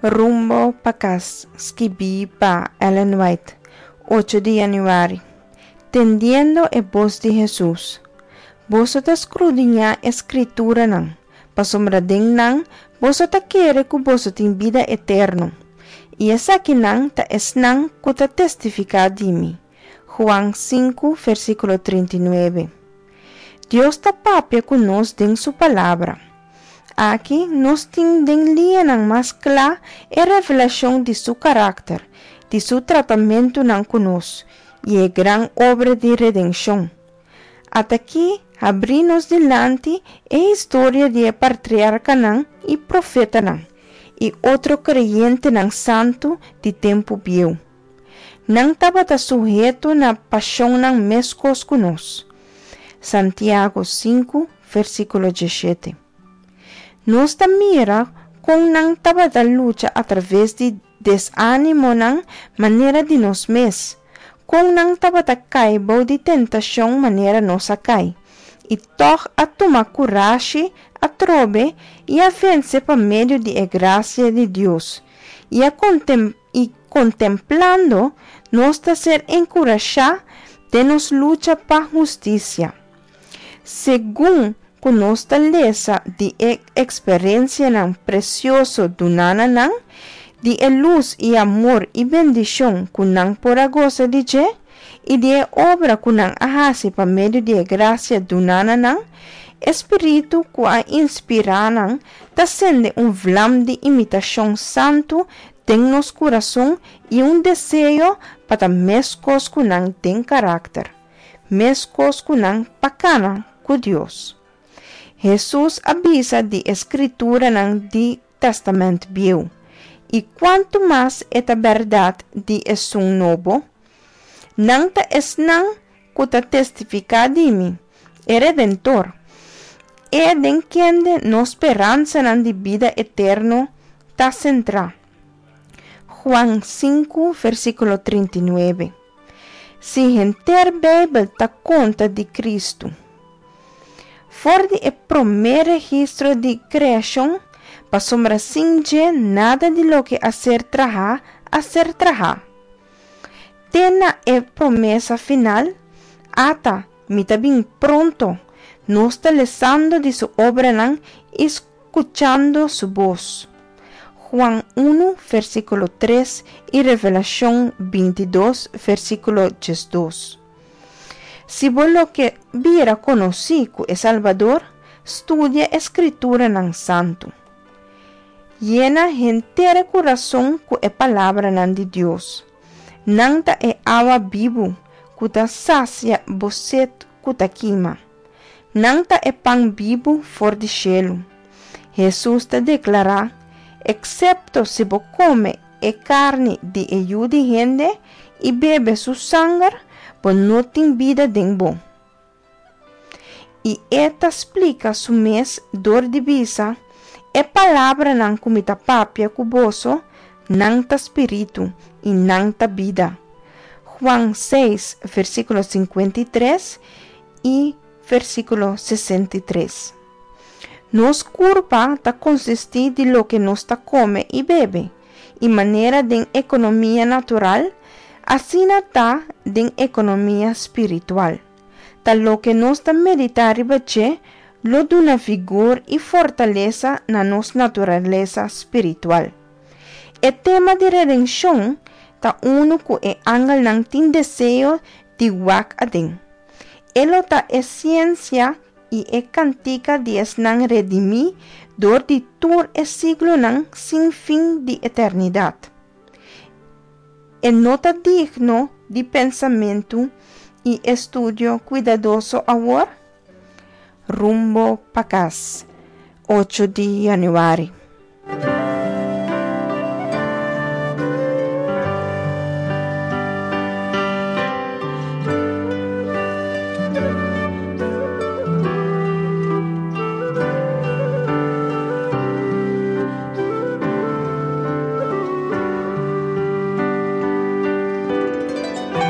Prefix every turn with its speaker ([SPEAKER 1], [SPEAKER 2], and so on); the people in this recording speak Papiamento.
[SPEAKER 1] Rumbo pa kas, skibí pa Ellen White, ocho di yanüari. Tendiendo e bos di Hesus. Boso ta skrudiñá e Skrituranan, pasobra den nan boso ta kere ku boso tin bida eterno, i esakinan ta esnan ku ta testifiká di mi. Juan sinku, versíkulo 39. Dios ta papia ku nos den su Palabra. Aki nos tin den liñanan mas kla e revelashon di su karakter, di su tratamentunan ku nos, i e gran obra di redenshon. At'akí habrí nos dilanti e historia di e partriarkanan i profetanan i otro kreyentenan santu di tempu bieu. Nan tabata suheto na pashonnan meskos ku nos. Santiago sinku, versíkulo diesshete. Nos ta mira kon nan tabata lucha atraves di desánimonan manera di nos mes, kon nan tabata kai bou di tentashon manera nos a kai, i tòg a tuma kurashi atrobe i a vense pa medio di e grasia di Dios, i a i kontemplando nos ta ser enkurashá den nos lucha pa hustisia. Segun ku nos ta lesa di e eksperensianan presioso duná na nan, di e lus i amor i bendishon ku nan por a gosa di dje, i di e obra ku nan a hasi pa medio di e grasia duná na nan, e Spiritu ku a inspirá nan ta sende un vlam di imitashon santu den nos kurason i un deseo pa ta meskos ku nan den karakter, meskos ku nan pa kana ku Dios. Hesus a bisa di e Skrituranan di Tèstamènt Bieu, i kuantu mas e ta bèrdat di esun Nobo? Nan ta esnan ku ta testifiká di mi, e Redentor, e den kende nos speransanan di bida eterno ta sentrá. Juan sinku, versíkulo 39. Si henter Beibel ta konta di Kristu. For di e promé registro di kreashon, pasobra sin dje nada di loke a ser trahá a ser trahá. Te na e promesa final, Ata, mi ta bin pronto, nos ta lesando di su obranan i skuchando su bos. Juan unu, versíkulo tres i Revelashon bintidos, versíkulo diesdos. Si bo lo ke bira konosí ku e Salbador, studia e Skrituranan Santu. Yena henter e kurason ku e palabranan di Dios. Nan ta e awa bibu ku ta sasia bo set ku ta kima. Nan ta e pan bibu for di shelu. Hesus ta deklará, Eksepto si bo kome e karni di e Yu di hende i bebe su sanger, bo no tin bida den bo. I e ta splika su mes dor di bisa, E palabranan ku mi ta papia ku boso, nan ta spiritu i nan ta bida. Juan seis, versíkulo 53 i versíkulo 63. Nos kurpa ta konsistí di loke nos ta kome i bebe, i manera den ekonomia natural, asina ta den ekonomia spiritual. Ta loke nos ta meditá riba dje lo duna vigor i fortalesa na nos naturalesa spiritual. E tema di redenshon ta unu ku e angelnan tin deseo di wak aden. E lo ta e siensia i e kantika di esnan redimí dor di tur e siglonan sin fin di eternidat. E no ta digno di pensamentu i estudio kuidadoso awor? Rumbo pa kas, ocho di yanüari.